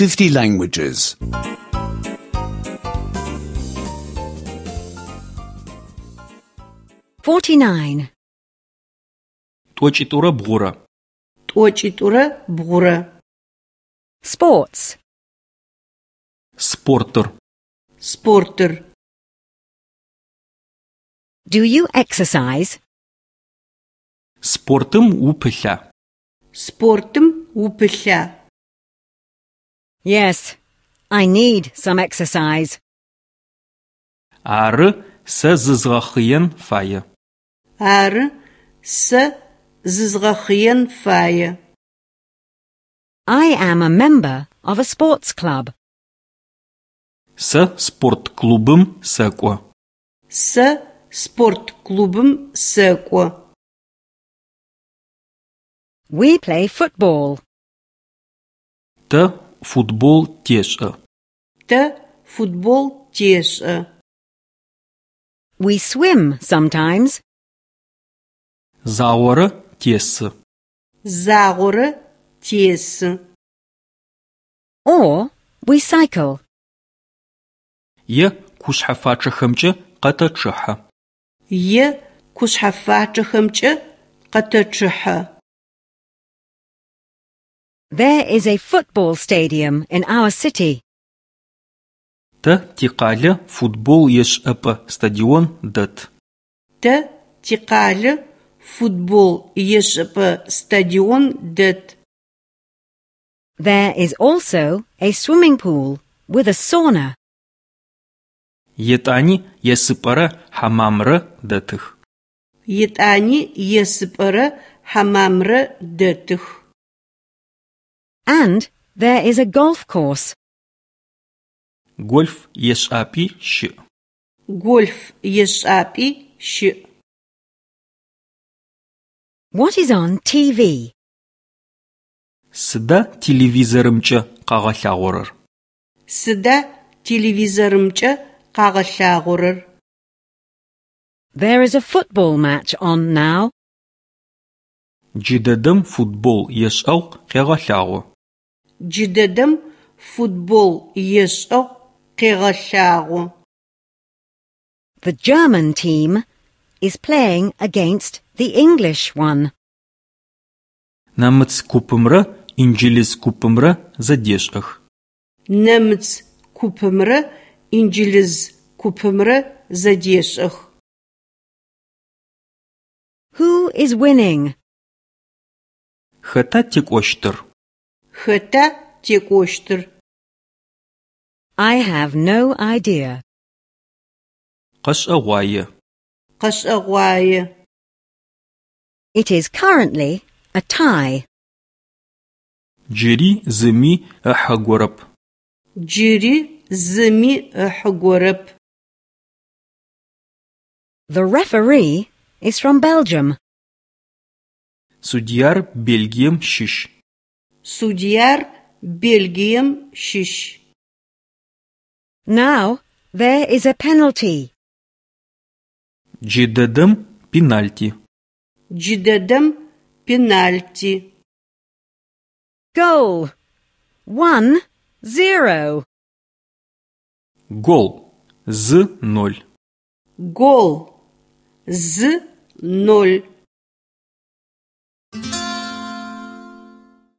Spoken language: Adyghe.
50 languages. 49. Тӏокӏитӏурэ бгъурэ. Тӏокӏитӏурэ бгъурэ. Sports. Спортыр. Спортыр. Do you exercise? Спортым упылъа? Спортым упылъа? Yes, I need some exercise. Ары, сэ зызгъэхъыен фае. Ары, сэ зызгъэхъыен фае. I am a member of a sports club. Сэ спорт клубым сэкӏо. Сэ спорт клубым сэкӏо. We play football. Тэ футбол тешӏэ. Тэ футбол тешӏэ. We swim sometimes. Загъорэ тесы. Загъорэ тесы. Or we cycle. Е кушъхьэфачъэхэмкӏэ къэтэчъыхьэ. Е кушъхьэфачъэхэмкӏэ къэтэчъыхьэ. There is a football stadium in our city. Тэ тикъалэ футбол ешӏэпӏэ стадион дэт. Тэ тикъалэ футбол ешӏэпӏэ стадион дэт. There is also a swimming pool with a sauna. Етӏани есыпӏэрэ хьамамрэ дэтых. Етӏани есыпӏэрэ хьамамрэ дэтых. And there is a golf course. Гольф ешӏапӏи щыӏ. Гольф ешӏапӏи щыӏ. What is on TV? Сыда телевизорымкӏэ къагъэлъагъорэр? Сыда телевизорымкӏэ къагъэлъагъорэр? There is a football match on now. Джыдэдэм футбол ешӏэгъу къегъэлъагъо. Джыдэдэм футбол ешӏэгъу къегъэлъагъо. The German team is playing against the English one. Нэмыц купымрэ инджылыз купымрэ зэдешӏэх. Нэмыц купымрэ инджылыз купымрэ зэдешӏэх. Who is winning? Хэта текӏощтыр? Хэта текӏощтыр? I have no idea. Къэшӏэгъуае. Къэшӏэгъуае. It is currently a tie. Джыри зыми ыхьыгорэп. Джыри зыми ыхьыгорэп. The referee is from Belgium. Судьяр Бельгием щыщ. Судьяр Бельгием щыщ. Now there is a penalty. Джыдэдэм пенальти. Джыдэдэм пенальти. Goal. 1-0. Гол. Зы ноль. Гол. Зы ноль.